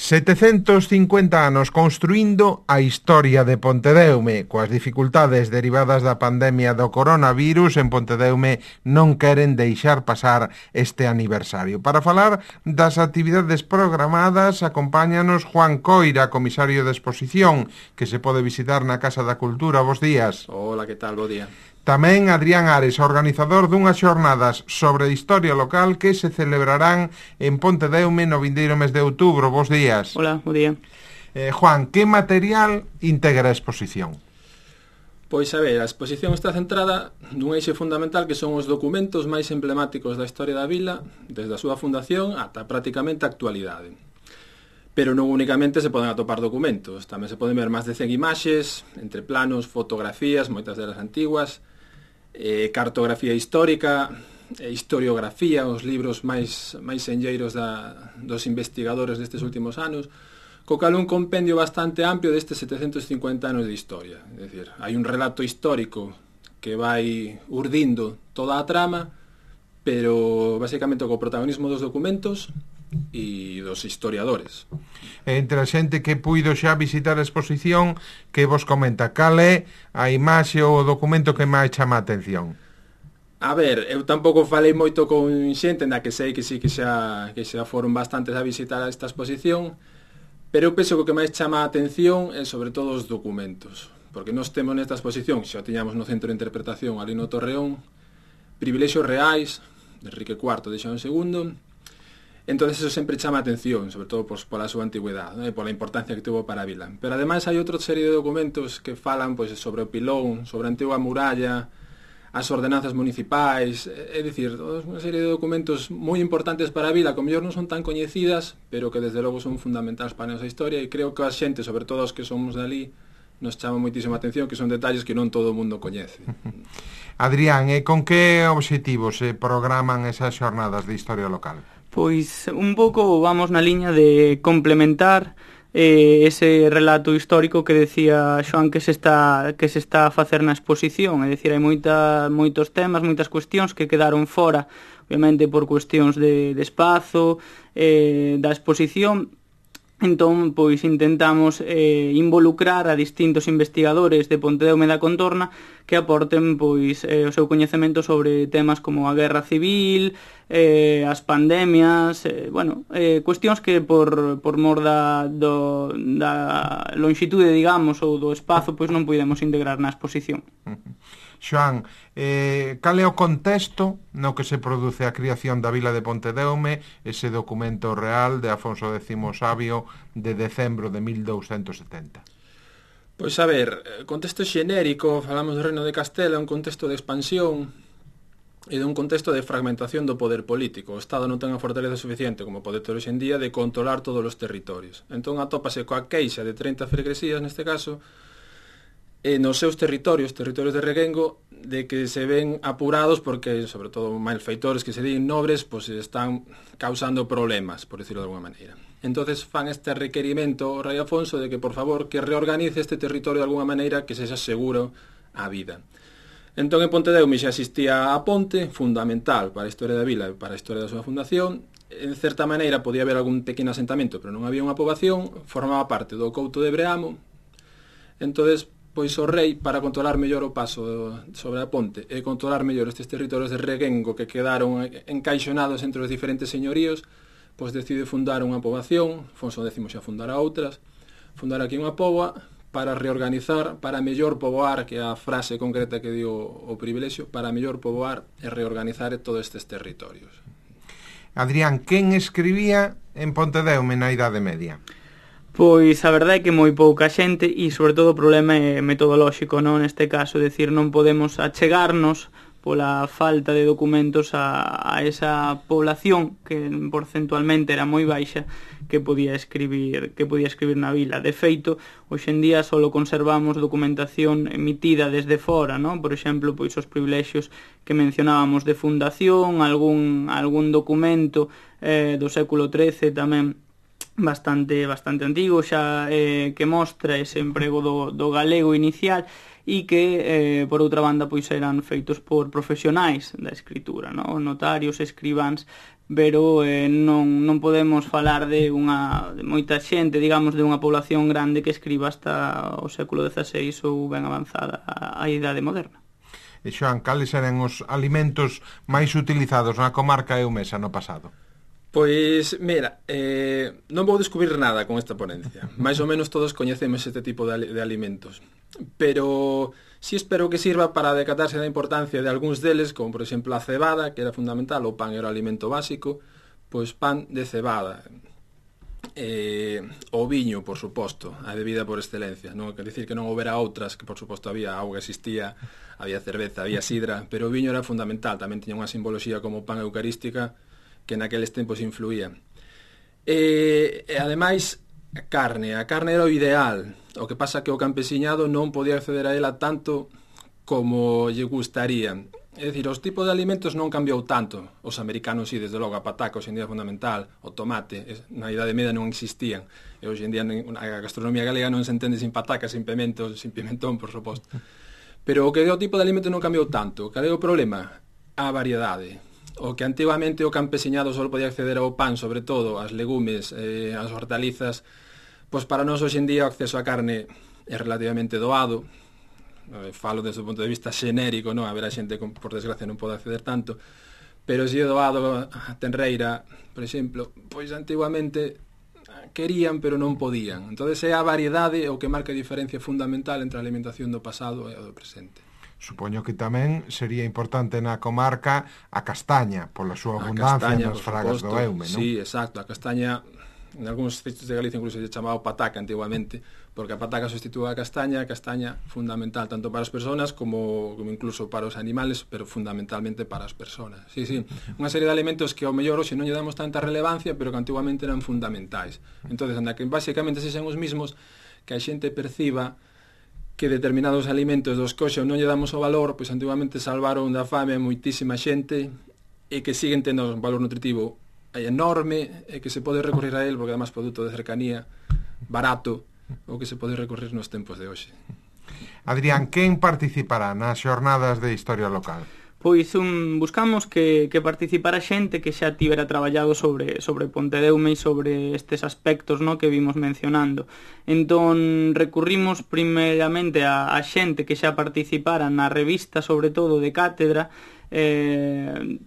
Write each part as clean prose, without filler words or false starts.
750 anos construindo a historia de Pontedeume. Coas dificultades derivadas da pandemia do coronavirus, en Pontedeume non queren deixar pasar este aniversario. Para falar das actividades programadas, acompáñanos Juan Coira, comisario de exposición, que se pode visitar na Casa da Cultura. Bos días. Hola, que tal? Bo día. Tamén Adrián Ares, organizador dunhas xornadas sobre historia local que se celebrarán en Pontedeume no vindeiro mes de outubro. Bos días. Hola, bo día. Juan, que material integra a exposición? Pois, a ver, a exposición está centrada nun eixe fundamental que son os documentos máis emblemáticos da historia da vila, desde a súa fundación ata prácticamente a actualidade. Pero non únicamente se poden atopar documentos, tamén se poden ver máis de 100 imaxes, entre planos, fotografías, moitas delas antiguas, cartografía histórica, historiografía, os libros máis senlleiros dos investigadores destes últimos anos, co cal un compendio bastante amplio destes 750 anos de historia. É dicir, hai un relato histórico que vai urdindo toda a trama, pero basicamente co protagonismo dos documentos e dos historiadores. Entre a xente que puido xa visitar a exposición, que vos comenta, cal é a imaxe ou o documento que máis chama a atención? A ver, eu tampouco falei moito con xente na que sei que sí que xa foron bastantes a visitar esta exposición, pero eu penso que o que máis chama a atención é sobre todo os documentos, porque nós temos nesta exposición, xa tiñamos no Centro de Interpretación ali no Torreón, privilexios reais de Enrique IV de Xoán II. Entón, eso sempre chama a atención, sobre todo pola súa antigüedade, pola importancia que tuvo para a vila. Pero ademais hai outra serie de documentos que falan sobre o pilón, sobre a antiga muralla, as ordenanzas municipais, é dicir, unha serie de documentos moi importantes para a vila, que mellor non son tan coñecidas, pero que desde logo son fundamentais para a nosa historia, e creo que a xente, sobre todo os que somos dali, nos chama moitísima atención, que son detalles que non todo o mundo coñece. Adrián, con que obxectivos se programan esas xornadas de historia local? Pois un pouco vamos na liña de complementar ese relato histórico que decía Xoán que se está a facer na exposición, é dicir, hai moitos temas, moitas cuestións que quedaron fora, obviamente por cuestións de espazo, da exposición. Entón, pois intentamos involucrar a distintos investigadores de Pontedeume e da contorna que aporten pois o seu coñecemento sobre temas como a guerra civil, as pandemias, cuestións que por mor da lonxitude, digamos, ou do espazo, pois non podemos integrar na exposición. Xoán, cal é o contexto no que se produce a creación da vila de Pontedeume, ese documento real de Afonso X Sabio de decembro de 1270? Pois a ver, contexto xenérico, falamos do Reino de Castela, un contexto de expansión e dun contexto de fragmentación do poder político. O Estado non ten a fortaleza suficiente como pode ter hoxe en día de controlar todos os territorios. Entón atópase coa queixa de 30 freguesías, neste caso, nos seus territorios de reguengo, de que se ven apurados porque, sobre todo, malfeitores que se din nobres, pois están causando problemas, por decirlo de alguna maneira. Entonces fan este requerimento ao rei Afonso de que, por favor, que reorganice este territorio de alguna maneira que sexa seguro a vida. Entón, en Pontedeume xa existía a ponte, fundamental para a historia da vila e para a historia da súa fundación. En certa maneira podía haber algún pequeno asentamento, pero non había unha poboación, formaba parte do couto de Breamo. Entonces, pois o rei, para controlar mellor o paso sobre a ponte e controlar mellor estes territorios de reguengo que quedaron encaixonados entre os diferentes señoríos, pois decide fundar unha poboación, Afonso X xa fundara outras, fundar aquí unha poboa para reorganizar, para mellor poboar, que é a frase concreta que dio o privilexio, para mellor poboar e reorganizar todos estes territorios. Adrián, quen escribía en Pontedeume na Idade Media? Pois a verdade é que moi pouca xente e sobre todo o problema é metodolóxico, non? Neste caso, decir, non podemos achegarnos pola falta de documentos a esa población que porcentualmente era moi baixa que podía escribir na vila. De feito, hoxe en día só conservamos documentación emitida desde fora, non? Por exemplo, pois os privilexios que mencionábamos de fundación, algún documento do século XIII tamén bastante antigo xa, que mostra ese emprego do galego inicial e que, por outra banda, pois eran feitos por profesionais da escritura, no? Notarios, escribáns, pero non podemos falar de moita xente, digamos, de unha población grande que escriba hasta o século XVI ou ben avanzada a idade moderna. E Xoán, cales eran os alimentos máis utilizados na comarca eumesa no pasado? Pois, mira, non vou descubrir nada con esta ponencia. Mais ou menos todos coñecemos este tipo de alimentos. Pero si espero que sirva para decatarse da importancia de algúns deles, como por exemplo a cebada, que era fundamental, o pan era o alimento básico, pois pan de cebada. O viño, por suposto, a bebida por excelencia. Non quer dicir que non houbera outras, que por suposto había auga, existía, había cerveza, había sidra, pero o viño era fundamental, tamén tiña unha simboloxía como pan eucarística, que naqueles tempos influía. E ademais, a carne era o ideal. O que pasa que o campesiñado non podía acceder a ela tanto como lle gustaría. É dicir, os tipos de alimentos non cambiou tanto. Os americanos, sí, desde logo, a pataca hoxe en día é fundamental, o tomate, na Idade Media non existían, e hoxe en día a gastronomía galega non se entende sin pataca, sin pimento, sin pimentón, por suposto. Pero o que o tipo de alimento non cambiou tanto. Cal é o problema? A variedade. O que antigamente o campesiñado só podía acceder ao pan, sobre todo, as legumes, as hortalizas, pois para nós hoxe en día o acceso á carne é relativamente doado. Falo desde o punto de vista xenérico, non? Haberá xente que, por desgracia, non pode acceder tanto, pero si é doado a tenreira, por exemplo, pois antiguamente querían, pero non podían. Entón, é a variedade o que marca a diferencia fundamental entre a alimentación do pasado e a do presente. Supoño que tamén sería importante na comarca a castaña, pola súa abundancia nas fragas do Eume, non? Sí, exacto, a castaña, en algúns sitios de Galicia incluso se chamaba pataca antiguamente, porque a pataca substitúe a castaña fundamental tanto para as persoas como incluso para os animales, pero fundamentalmente para as persoas. Sí, unha serie de alimentos que ao mellor hoxe non lle damos tanta relevancia, pero que antiguamente eran fundamentais. Entonces, anda que basicamente se xan os mismos, que a xente perciba que determinados alimentos dos que hoxe non lle damos o valor, pois antiguamente salvaron da fame a moitísima xente e que siguen tendo un valor nutritivo enorme e que se pode recorrer a él porque además produto de cercanía, barato, o que se pode recorrer nos tempos de hoxe. Adrián, quen participará nas xornadas de historia local? Pois buscamos que participara xente que xa tivera traballado sobre Pontedeume e sobre estes aspectos, no, que vimos mencionando. Entón, recurrimos primeramente a xente que xa participara na revista, sobre todo de cátedra,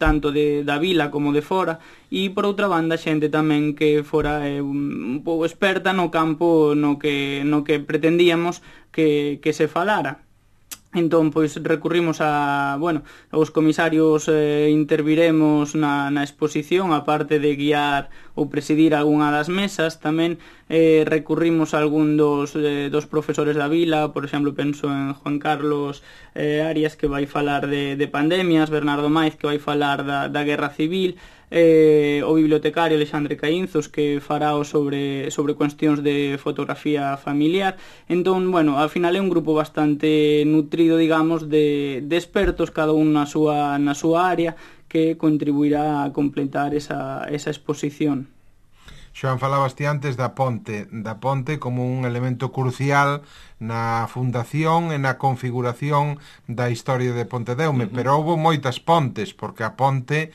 tanto da vila como de fora, e por outra banda xente tamén que fora un pouco experta no campo no que pretendíamos que se falara. Entón, pois, recurrimos aos comisarios, interviremos na exposición, aparte de guiar ou presidir algunha das mesas, tamén recurrimos a algún dos profesores da vila, por exemplo, penso en Juan Carlos Arias, que vai falar de pandemias, Bernardo Maiz, que vai falar da guerra civil, o bibliotecario Alexandre Caínzos, que fará sobre cuestións de fotografía familiar. Entón, ao final é un grupo bastante nutrido, digamos, de expertos, cada un na súa área, que contribuirá a completar esa exposición. Xoán, falabas ti antes da ponte como un elemento crucial na fundación e na configuración da historia de Pontedeume, pero houve moitas pontes, porque a ponte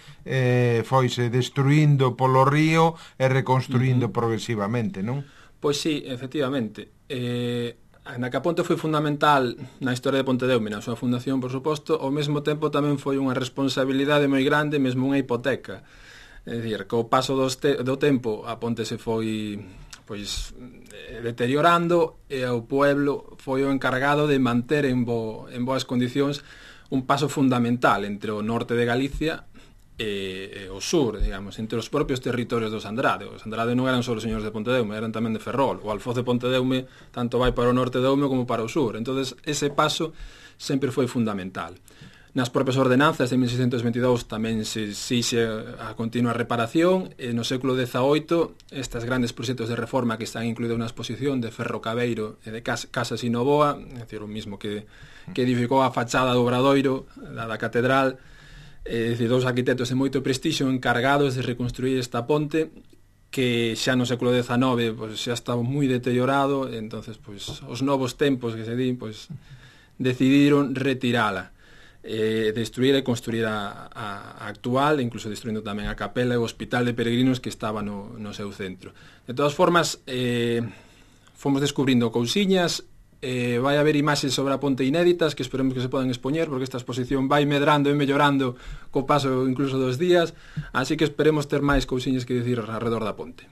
foise destruindo polo río e reconstruindo progresivamente, non? Pois sí, efectivamente. Na que a ponte foi fundamental na historia de Pontedeume, na súa fundación, por suposto, ao mesmo tempo tamén foi unha responsabilidade moi grande, mesmo unha hipoteca. É dicir, co paso do tempo a ponte se foi deteriorando e o pueblo foi o encargado de manter en boas condicións un paso fundamental entre o norte de Galicia e o sur, digamos, entre os propios territorios dos Andrade. Os Andrade non eran só os señores de Pontedeume, eran tamén de Ferrol. O alfoz de Pontedeume tanto vai para o norte de Eume como para o sur. Entonces, ese paso sempre foi fundamental. Nas propias ordenanzas de 1622 tamén se exixe a continua reparación, e no século XVIII estas grandes proxectos de reforma que están incluídos na exposición de Ferro Cabeiro e de Casas Inovoa, é dicir, o mismo que edificou a fachada do Obradoiro, da catedral, é dicir, dous arquitectos de moito prestixio encargados de reconstruir esta ponte, que xa no século XIX pois, xa estaba moi deteriorado, entonces pois, os novos tempos que se din pois, decidiron retirala, destruir e construir a actual, incluso destruindo tamén a capela e o hospital de peregrinos que estaba no seu centro. De todas formas, fomos descubrindo cousiñas, vai haber imaxes sobre a ponte inéditas que esperemos que se podan expoñer, porque esta exposición vai medrando e mellorando co paso incluso dos días, así que esperemos ter máis cousiñas que dicir alrededor da ponte.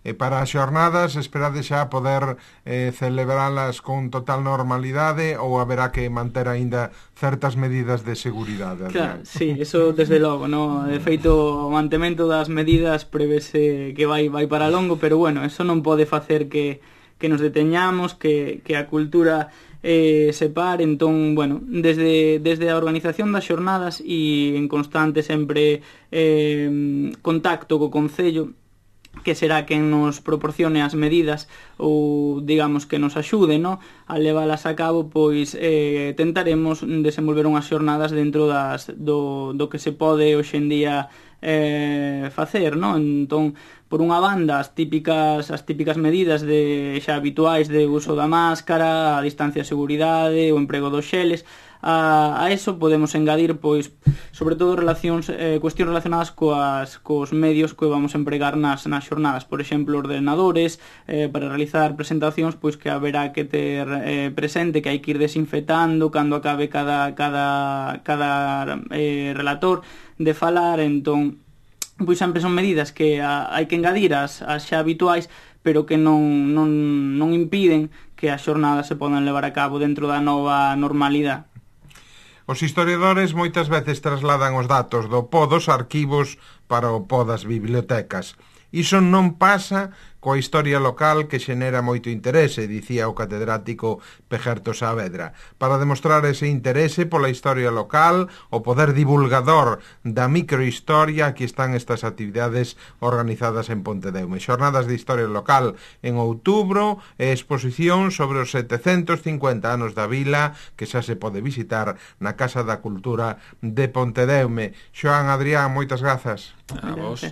E para as xornadas esperade xa poder celebralas con total normalidade ou haberá que manter aínda certas medidas de seguridade? Claro, sí, eso desde logo, no? De feito, o mantemento das medidas prevese que vai para longo, pero bueno, eso non pode facer que nos deteñamos, que a cultura se pare. Entón, bueno, desde a organización das xornadas e en constante sempre contacto co Concello, que será quen nos proporcione as medidas ou, digamos, que nos axude, no? A leválas a cabo, pois tentaremos desenvolver unhas xornadas dentro do que se pode hoxe en día facer, no? Entón, por unha banda, as típicas medidas xa habituais de uso da máscara, a distancia de seguridade, o emprego dos xeles. A eso podemos engadir, pois, sobre todo cuestións relacionadas cos medios que vamos a empregar nas xornadas. Por exemplo, ordenadores, para realizar presentacións, pois que haberá que ter presente que hai que ir desinfectando cando acabe cada relator de falar. Entón, pois sempre son medidas que hai que engadir as xa habituais, pero que non impiden que as xornadas se podan levar a cabo dentro da nova normalidade. Os historiadores moitas veces trasladan os datos do po dos arquivos para o po das bibliotecas. Iso non pasa coa historia local que xenera moito interese, dicía o catedrático Pejerto Saavedra. Para demostrar ese interese pola historia local, o poder divulgador da microhistoria, aquí están estas actividades organizadas en Pontedeume. Xornadas de historia local en outubro e exposición sobre os 750 anos da vila que xa se pode visitar na Casa da Cultura de Pontedeume. Xoán, Adrián, moitas grazas. A vos.